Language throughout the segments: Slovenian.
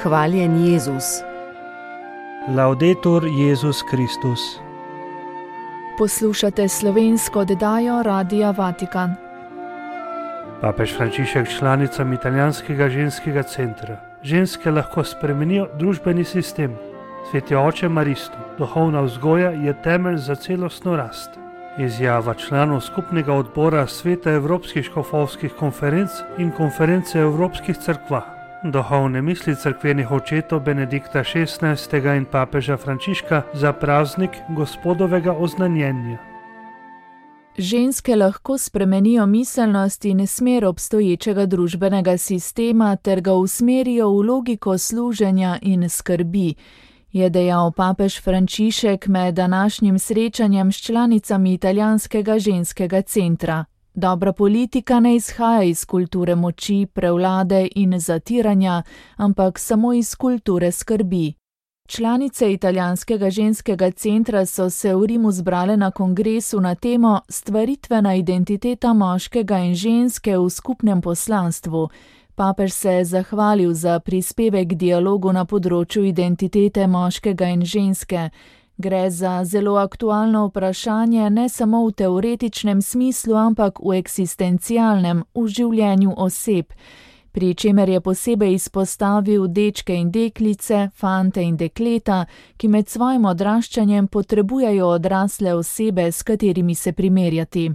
Hvaljen Jezus. Laudetur Jezus Kristus. Poslušate slovensko oddajo Radia Vatikan. Papež Frančišek članicam italijanskega ženskega centra. Ženske lahko spremenijo družbeni sistem. Sveti oče Maristo, duhovna vzgoja je temelj za celostno rast. Izjava članov skupnega odbora Sveta Evropskih škofovskih konferenc in konference Evropskih cerkva. Duhovne misli cerkvenih očetov Benedikta XVI. In papeža Frančiška za praznik Gospodovega oznanjenja. Ženske lahko spremenijo miselnost in smer obstoječega družbenega sistema ter ga usmerijo v logiko služenja in skrbi, je dejal papež Frančišek med današnjim srečanjem s članicami italijanskega ženskega centra. Dobra politika ne izhaja iz kulture moči, prevlade in zatiranja, ampak samo iz kulture skrbi. Članice italijanskega ženskega centra so se v Rimu zbrale na kongresu na temo Stvaritvena identiteta moškega in ženske v skupnem poslanstvu. Papež se je zahvalil za prispevek k dialogu na področju identitete moškega in ženske. Gre za zelo aktualno vprašanje ne samo v teoretičnem smislu, ampak v eksistencialnem, v življenju oseb, pri čemer je posebej izpostavil dečke in deklice, fante in dekleta, ki med svojim odraščanjem potrebujejo odrasle osebe, s katerimi se primerjati.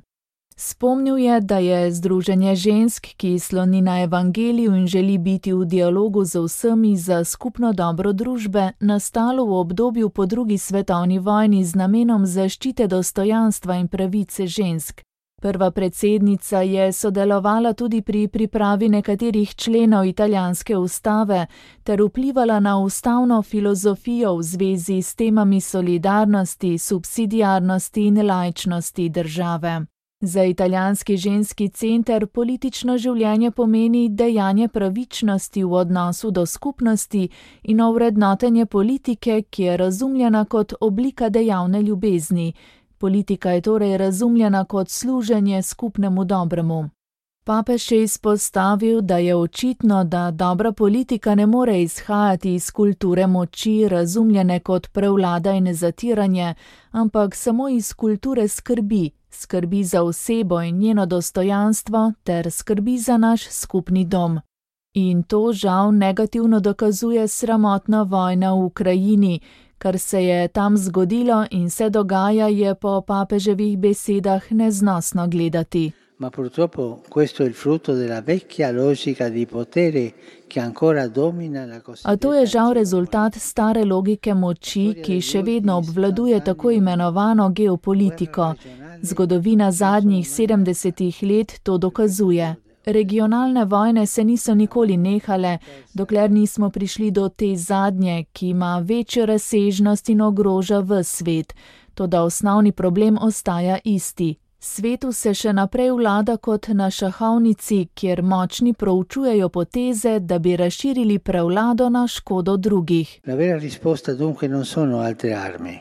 Spomnil je, da je združenje žensk, ki sloni na evangeliju in želi biti v dialogu z vsemi za skupno dobro družbe, nastalo v obdobju po drugi svetovni vojni z namenom zaščite dostojanstva in pravice žensk. Prva predsednica je sodelovala tudi pri pripravi nekaterih členov italijanske ustave ter vplivala na ustavno filozofijo v zvezi s temami solidarnosti, subsidiarnosti in laičnosti države. Za italijanski ženski center politično življenje pomeni dejanje pravičnosti v odnosu do skupnosti in ovrednotenje politike, ki je razumljena kot oblika dejavne ljubezni. Politika je torej razumljena kot služenje skupnemu dobremu. Papež je izpostavil, da je očitno, da dobra politika ne more izhajati iz kulture moči, razumljene kot prevlada in zatiranje, ampak samo iz kulture skrbi. Skrbi za osebo in njeno dostojanstvo ter skrbi za naš skupni dom. In to žal negativno dokazuje sramotna vojna v Ukrajini. Kar se je tam zgodilo in se dogaja, je po papeževih besedah neznosno gledati. Ma purtroppo questo è il frutto della vecchia logica di potere che ancora domina la cosiddetta. A to je žal rezultat stare logike moči, ki še vedno obvladuje tako imenovano geopolitiko. Zgodovina zadnjih 70 let to dokazuje. Regionalne vojne se niso nikoli nehale, dokler nismo prišli do te zadnje, ki ima večjo razsežnost in ogroža ves svet. Toda osnovni problem ostaja isti. Svetu se še naprej vlada kot na šahovnici, kjer močni proučujejo poteze, da bi razširili prevlado na škodo drugih. La vera risposta dunque non sono altre armi,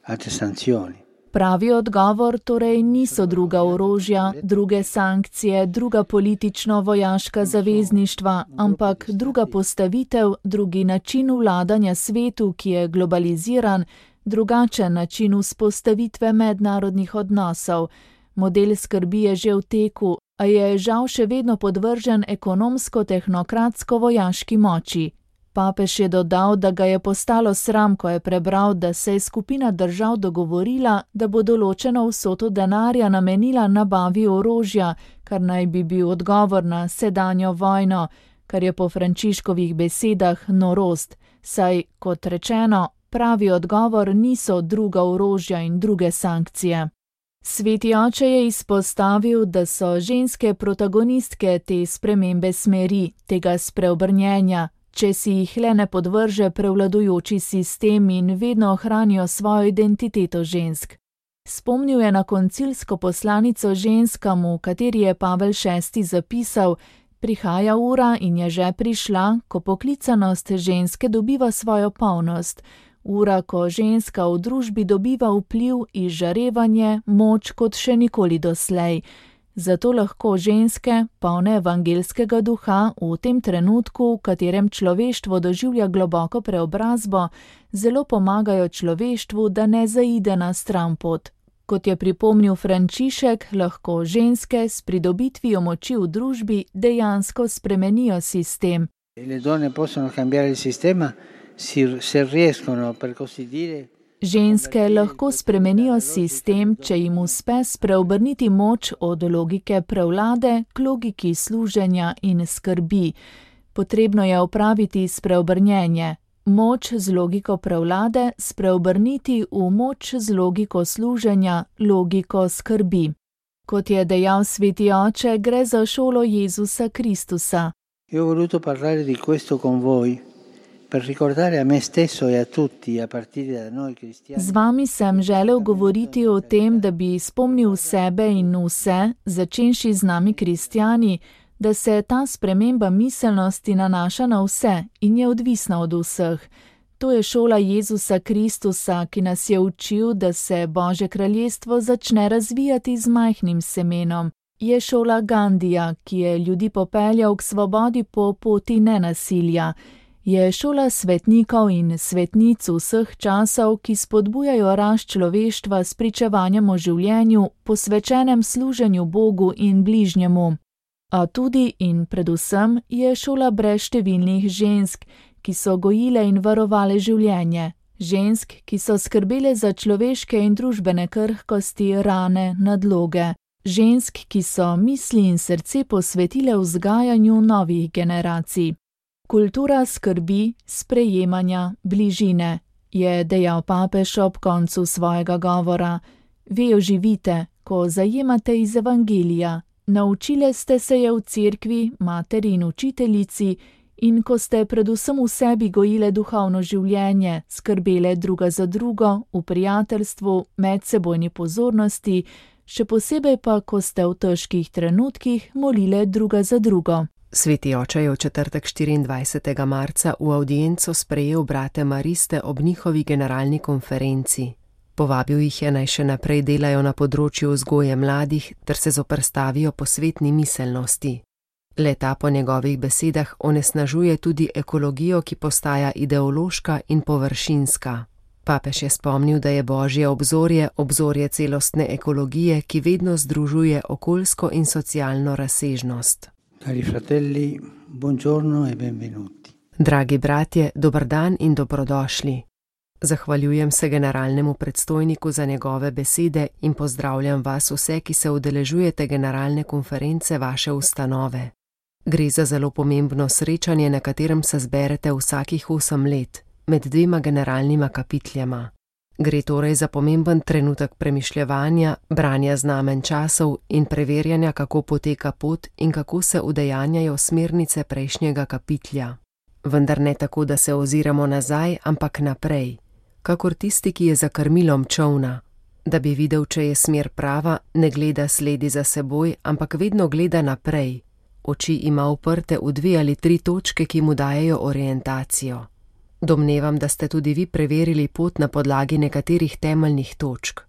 altre sanzioni. Pravi odgovor torej niso druga orožja, druge sankcije, druga politično-vojaška zavezništva, ampak druga postavitev, drugi način vladanja svetu, ki je globaliziran, drugačen način vzpostavitve mednarodnih odnosov. Model skrbi je že v teku, a je žal še vedno podvržen ekonomsko-tehnokratsko-vojaški moči. Papež je dodal, da ga je postalo sram, ko je prebral, da se je skupina držav dogovorila, da bo določeno vsoto denarja namenila nabavi orožja, kar naj bi bil odgovor na sedanjo vojno, kar je po Frančiškovih besedah norost, saj, kot rečeno, pravi odgovor niso druga orožja in druge sankcije. Sveti oče je izpostavil, da so ženske protagonistke te spremembe smeri, tega spreobrnjenja, če si jih le ne podvrže prevladujoči sistem in vedno ohranijo svojo identiteto žensk. Spomnil je na koncilsko poslanico ženskam, v kateri je Pavel VI zapisal: prihaja ura in je že prišla, ko poklicanost ženske dobiva svojo polnost. Ura, ko ženska v družbi dobiva vpliv, izžarevanje, moč kot še nikoli doslej. Zato lahko ženske, polne evangelskega duha, v tem trenutku, v katerem človeštvo doživlja globoko preobrazbo, zelo pomagajo človeštvu, da ne zaide na stranpot. Kot je pripomnil Frančišek, lahko ženske s pridobitvijo moči v družbi dejansko spremenijo sistem. Le donne possono cambiare il sistema se riescono, per così dire. Ženske lahko spremenijo sistem, če jim uspe spreobrniti moč od logike prevlade k logiki služenja in skrbi. Potrebno je opraviti spreobrnjenje. Moč z logiko prevlade spreobrniti v moč z logiko služenja, logiko skrbi. Kot je dejal sveti oče, gre za šolo Jezusa Kristusa. Io ho voluto parlare di questo con voi, per ricordare a me stesso e a tutti, a partire da noi cristiani. Z vami sem želel govoriti o tem, da bi spomnil sebe in vse, začenši z nami kristjani, da se ta sprememba miselnosti nanaša na vse in je odvisna od vseh. To je šola Jezusa Kristusa, ki nas je učil, da se Božje kraljestvo začne razvijati z majhnim semenom. Je šola Gandija, ki je ljudi popeljal k svobodi po poti nenasilja. Je šola svetnikov in svetnic vseh časov, ki spodbujajo rast človeštva s pričevanjem o življenju, posvečenem služenju Bogu in bližnjemu. A tudi in predvsem je šola brezštevilnih žensk, ki so gojile in varovale življenje. Žensk, ki so skrbele za človeške in družbene krhkosti, rane, nadloge. Žensk, ki so misli in srce posvetile vzgajanju novih generacij. Kultura skrbi, sprejemanja, bližine, je dejal papež ob koncu svojega govora. Vi jo živite, ko zajemate iz evangelija. Naučile ste se je v cerkvi, materi in učiteljici, in ko ste predvsem v sebi gojile duhovno življenje, skrbele druga za drugo, v prijateljstvu, medsebojni pozornosti, še posebej pa, ko ste v težkih trenutkih molile druga za drugo. Sveti oče je v četrtek 24. marca v avdienco sprejel brate mariste ob njihovi generalni konferenci. Povabil jih je, naj še naprej delajo na področju vzgoje mladih ter se zoperstavijo posvetni miselnosti. Le-ta po njegovih besedah onesnažuje tudi ekologijo, ki postaja ideološka in površinska. Papež je spomnil, da je Božje obzorje obzorje celostne ekologije, ki vedno združuje okoljsko in socialno razsežnost. Cari fratelli, buongiorno e benvenuti. Dragi bratje, dober dan in dobrodošli. Zahvaljujem se generalnemu predstojniku za njegove besede in pozdravljam vas vse, ki se udeležujete generalne konference vaše ustanove. Gre za zelo pomembno srečanje, na katerem se zberete vsakih 8 let, med 2 generalnima kapitljama. Gre torej za pomemben trenutek premišljevanja, branja znamen časov in preverjanja, kako poteka pot in kako se udejanjajo smernice prejšnjega kapitlja. Vendar ne tako, da se oziramo nazaj, ampak naprej. Kakor tisti, ki je za krmilom čolna. Da bi videl, če je smer prava, ne gleda sledi za seboj, ampak vedno gleda naprej. Oči ima uprte v 2 ali 3 točke, ki mu dajejo orientacijo. Domnevam, da ste tudi vi preverili pot na podlagi nekaterih temeljnih točk.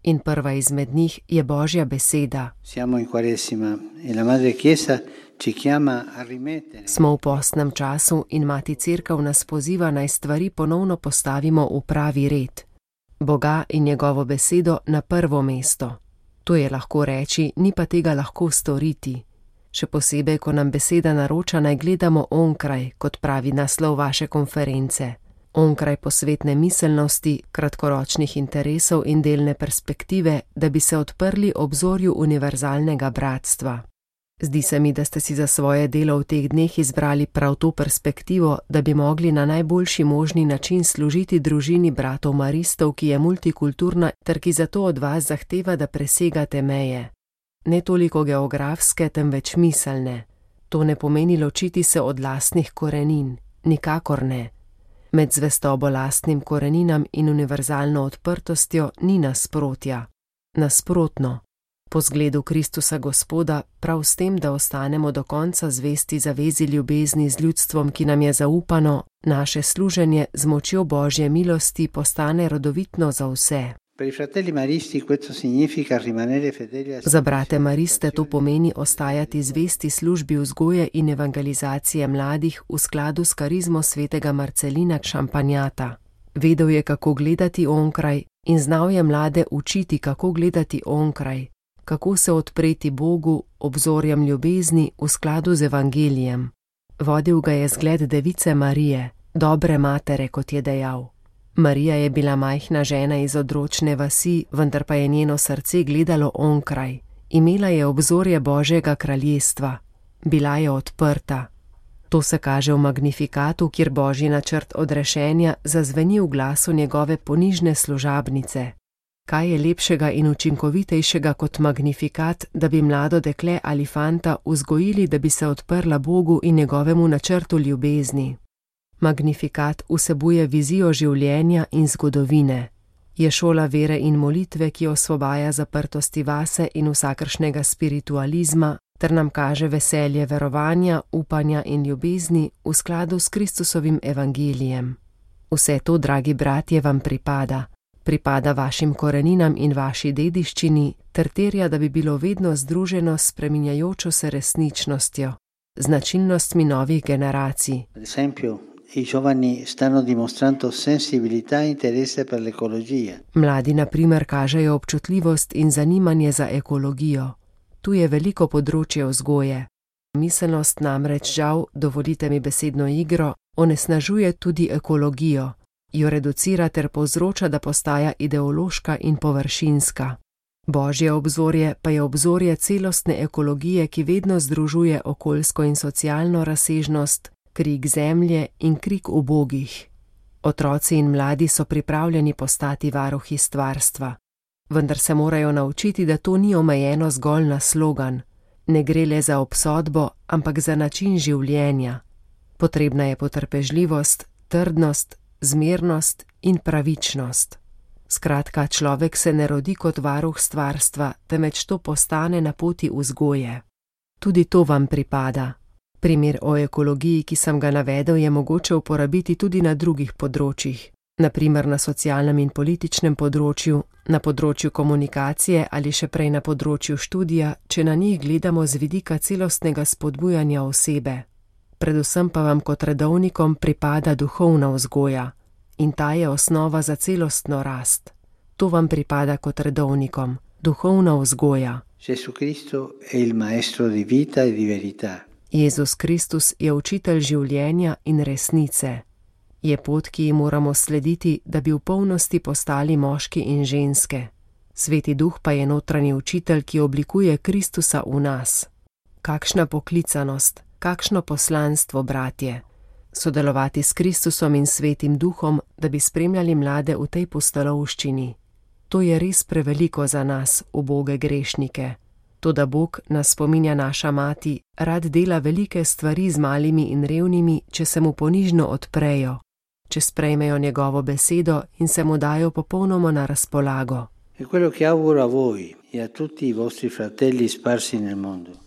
In prva izmed njih je Božja beseda. Smo v postnem času in Mati Cerkev nas poziva, naj stvari ponovno postavimo v pravi red. Boga in njegovo besedo na prvo mesto. To je lahko reči, ni pa tega lahko storiti. Še posebej, ko nam beseda naroča, naj gledamo onkraj, kot pravi naslov vaše konference. Onkraj posvetne miselnosti, kratkoročnih interesov in delne perspektive, da bi se odprli obzorju univerzalnega bratstva. Zdi se mi, da ste si za svoje delo v teh dneh izbrali prav to perspektivo, da bi mogli na najboljši možni način služiti družini bratov maristov, ki je multikulturna ter ki zato od vas zahteva, da presegate meje. Ne toliko geografske, temveč miselne. To ne pomeni ločiti se od lastnih korenin, nikakor ne. Med zvestobo lastnim koreninam in univerzalno odprtostjo ni nasprotja. Nasprotno. Po zgledu Kristusa Gospoda, prav s tem, da ostanemo do konca zvesti zavezi ljubezni z ljudstvom, ki nam je zaupano, naše služenje z močjo Božje milosti postane rodovitno za vse. Za brate mariste to pomeni ostajati zvesti službi vzgoje in evangelizacije mladih v skladu s karizmo svetega Marcelina Šampanjata. Vedel je, kako gledati onkraj in znal je mlade učiti, kako gledati onkraj, kako se odpreti Bogu, obzorjem ljubezni v skladu z evangelijem. Vodil ga je zgled device Marije, dobre matere, kot je dejal. Marija je bila majhna žena iz odročne vasi, vendar pa je njeno srce gledalo onkraj. Imela je obzorje Božjega kraljestva. Bila je odprta. To se kaže v Magnifikatu, kjer Božji načrt odrešenja zazveni v glasu njegove ponižne služabnice. Kaj je lepšega in učinkovitejšega kot Magnifikat, da bi mlado dekle ali fanta vzgojili, da bi se odprla Bogu in njegovemu načrtu ljubezni? Magnifikat vsebuje vizijo življenja in zgodovine. Je šola vere in molitve, ki osvobaja zaprtosti vase in vsakršnega spiritualizma, ter nam kaže veselje verovanja, upanja in ljubezni v skladu s Kristusovim evangelijem. Vse to, dragi bratje, vam pripada. Pripada vašim koreninam in vaši dediščini, ter terja, da bi bilo vedno združeno s spreminjajočo se resničnostjo, značilnostmi novih generacij. I giovani stanno dimostrando sensibilità e interesse per l'ecologia. Mladi na primer kažejo občutljivost in zanimanje za ekologijo. Tu je veliko področje vzgoje. Miselnost namreč žal, dovolite mi besedno igro, onesnažuje tudi ekologijo, jo reducira ter povzroča, da postaja ideološka in površinska. Božje obzorje pa je obzorje celostne ekologije, ki vedno združuje okoljsko in socialno razsežnost, krik zemlje in krik ubogih. Otroci in mladi so pripravljeni postati varuhi stvarstva, vendar se morajo naučiti, da to ni omejeno zgolj na slogan. Ne gre le za obsodbo, ampak za način življenja. Potrebna je potrpežljivost, trdnost, zmernost in pravičnost. Skratka, človek se ne rodi kot varuh stvarstva, temveč to postane na poti vzgoje. Tudi to vam pripada. Primer o ekologiji, ki sem ga navedel, je mogoče uporabiti tudi na drugih področjih, na primer na socialnem in političnem področju, na področju komunikacije ali še prej na področju študija, če na njih gledamo z vidika celostnega spodbujanja osebe. Predvsem pa vam kot redovnikom pripada duhovna vzgoja in ta je osnova za celostno rast. To vam pripada kot redovnikom, duhovna vzgoja. Gesù Cristo è il maestro di vita e di verità. Jezus Kristus je učitelj življenja in resnice. Je pot, ki ji moramo slediti, da bi v polnosti postali moški in ženske. Sveti Duh pa je notranji učitelj, ki oblikuje Kristusa v nas. Kakšna poklicanost, kakšno poslanstvo, bratje. Sodelovati s Kristusom in Svetim Duhom, da bi spremljali mlade v tej pustolovščini. To je res preveliko za nas, uboge grešnike. Toda Bog, nas spominja naša mati, rad dela velike stvari z malimi in revnimi, če se mu ponižno odprejo, če sprejmejo njegovo besedo in se mu dajo popolnoma na razpolago.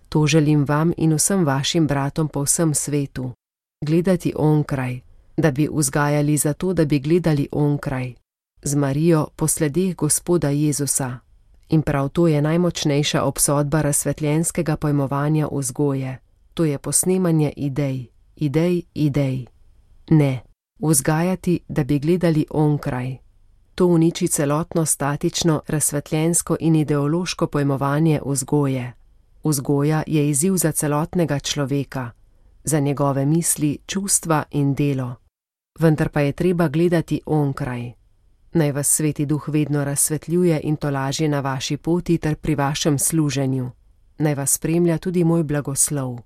To želim vam in vsem vašim bratom po vsem svetu. Gledati onkraj, da bi vzgajali zato, da bi gledali onkraj. Z Marijo po sledeh Gospoda Jezusa. In prav to je najmočnejša obsodba razsvetljenskega pojmovanja vzgoje. To je posnemanje idej. Ne, vzgajati, da bi gledali onkraj. To uniči celotno statično, razsvetljensko in ideološko pojmovanje vzgoje. Vzgoja je izziv za celotnega človeka, za njegove misli, čustva in delo. Vendar pa je treba gledati onkraj. Naj vas Sveti Duh vedno razsvetljuje in tolaži na vaši poti ter pri vašem služenju. Naj vas spremlja tudi moj blagoslov.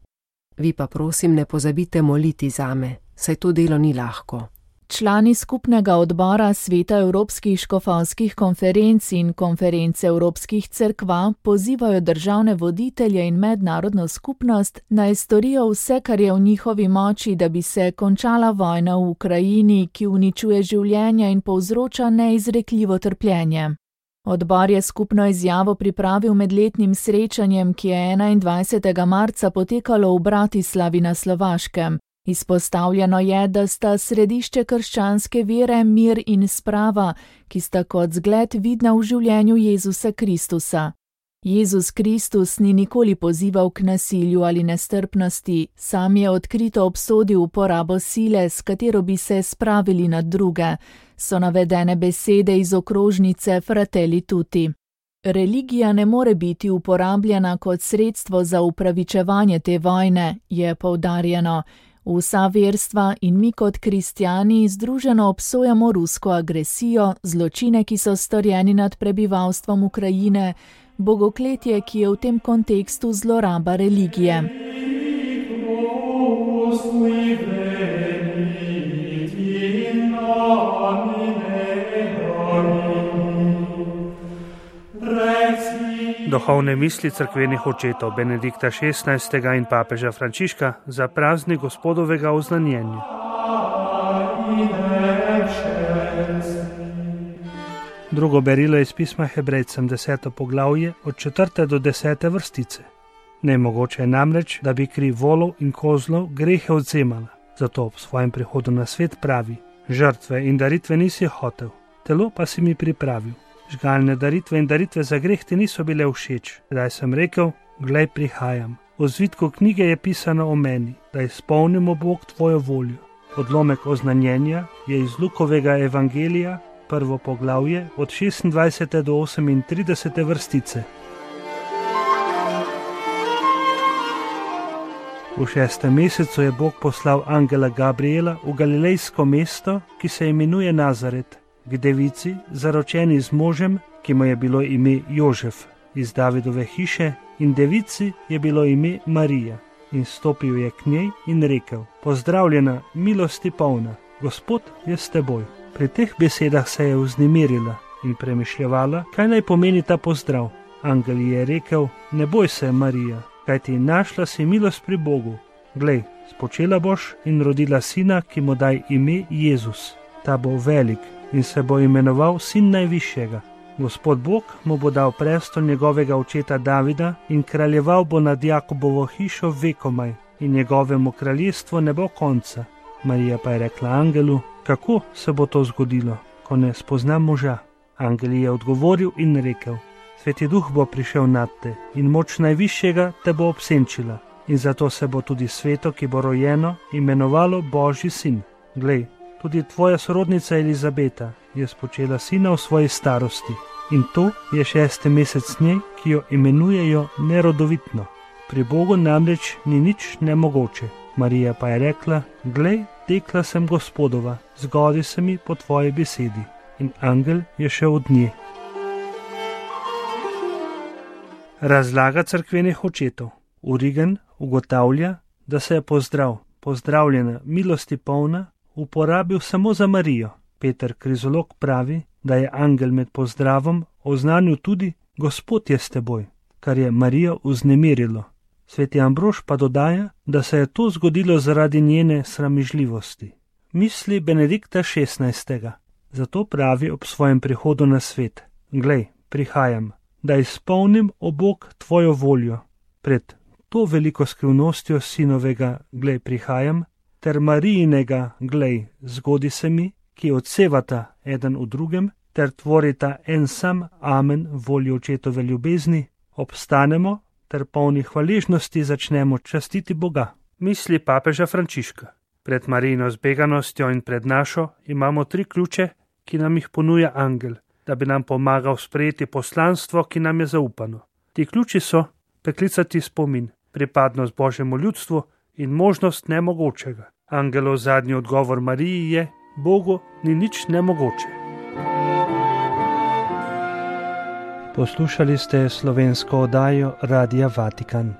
Vi pa prosim ne pozabite moliti zame, saj to delo ni lahko. Člani skupnega odbora Sveta Evropskih škofovskih konferenc in konference Evropskih cerkva pozivajo državne voditelje in mednarodno skupnost, naj storijo vse, kar je v njihovi moči, da bi se končala vojna v Ukrajini, ki uničuje življenja in povzroča neizrekljivo trpljenje. Odbor je skupno izjavo pripravil med letnim srečanjem, ki je 21. marca potekalo v Bratislavi na Slovaškem. Izpostavljeno je, da sta središče krščanske vere mir in sprava, ki sta kot zgled vidna v življenju Jezusa Kristusa. Jezus Kristus ni nikoli pozival k nasilju ali nestrpnosti, sam je odkrito obsodil uporabo sile, s katero bi se spravili nad druge, so navedene besede iz okrožnice Fratelli Tutti. Religija ne more biti uporabljena kot sredstvo za upravičevanje te vojne, je poudarjeno. Vsa verstva in mi kot kristjani združeno obsojamo rusko agresijo, zločine, ki so storjeni nad prebivalstvom Ukrajine, bogokletje, ki je v tem kontekstu zloraba religije. Duhovne misli cerkvenih očetov Benedikta XVI. In papeža Frančiška za praznik Gospodovega oznanjenja. Drugo berilo iz pisma Hebrejcem 10. poglavje od 4. do 10. vrstice. Nemogoče je namreč, da bi kri volov in kozlov grehe odzemala. Zato ob svojem prihodu na svet pravi: žrtve in daritve nisi hotel, telo pa si mi pripravil. Žgalne daritve in daritve za greh ti niso bile všeč. Zdaj sem rekel: glej, prihajam. V zvitku knjige je pisano o meni, da izpolnimo Bog tvojo voljo. Odlomek oznanjenja je iz Lukovega evangelija, 1. poglavje, od 26. do 38. vrstice. V 6. mesecu je Bog poslal angela Gabriela v galilejsko mesto, ki se imenuje Nazaret, k devici, zaročeni z možem, ki mu je bilo ime Jožef, iz Davidove hiše, in devici je bilo ime Marija. In stopil je k njej in rekel: pozdravljena, milosti polna, Gospod je s teboj. Pri teh besedah se je vznemirila in premišljevala, kaj naj pomeni ta pozdrav. Angel je rekel: ne boj se, Marija, kajti našla si milost pri Bogu. Glej, spočela boš in rodila sina, ki mu daj ime Jezus. Ta bo velik in se bo imenoval Sin Najvišjega. Gospod Bog mu bo dal prestol njegovega očeta Davida in kraljeval bo nad Jakobovo hišo vekomaj in njegovemu kraljestvu ne bo konca. Marija pa je rekla angelu: kako se bo to zgodilo, ko ne spoznam moža? Angel je odgovoril in rekel: Sveti Duh bo prišel nad te in moč Najvišjega te bo obsenčila in zato se bo tudi sveto, ki bo rojeno, imenovalo Božji sin. Glej, tudi tvoja sorodnica Elizabeta je spočela sina v svoji starosti in to je 6. mesec njej, ki jo imenujejo nerodovitno. Pri Bogu namreč ni nič nemogoče. Marija pa je rekla: glej, dekla sem Gospodova, zgodi se mi po tvoji besedi. In angel je šel od nje. Razlaga cerkvenih očetov. Origen ugotavlja, da se je pozdrav, pozdravljena, milosti polna, uporabil samo za Marijo. Peter Krizolog pravi, da je angel med pozdravom oznanil tudi: Gospod je s teboj, kar je Marijo vznemirilo. Sveti Ambrož pa dodaja, da se je to zgodilo zaradi njene sramežljivosti. Misli Benedikta XVI. Zato pravi ob svojem prihodu na svet: glej, prihajam, da izpolnim, o Bog, tvojo voljo. Pred to veliko skrivnostjo sinovega glej, prihajam, ter Marijinega glej, zgodi se mi, ki odsevata eden v drugem, ter tvorita en sam amen voljo očetove ljubezni, obstanemo ter polni hvaležnosti začnemo častiti Boga. Misli papeža Frančiška. Pred Marijino zbeganostjo in pred našo imamo 3 ključe, ki nam jih ponuja angel, da bi nam pomagal sprejeti poslanstvo, ki nam je zaupano. Ti ključi so preklicati spomin, pripadnost Božjemu ljudstvu in možnost nemogočega. Angelov zadnji odgovor Mariji je: Bogu ni nič nemogoče. Poslušali ste slovensko oddajo Radia Vatikan.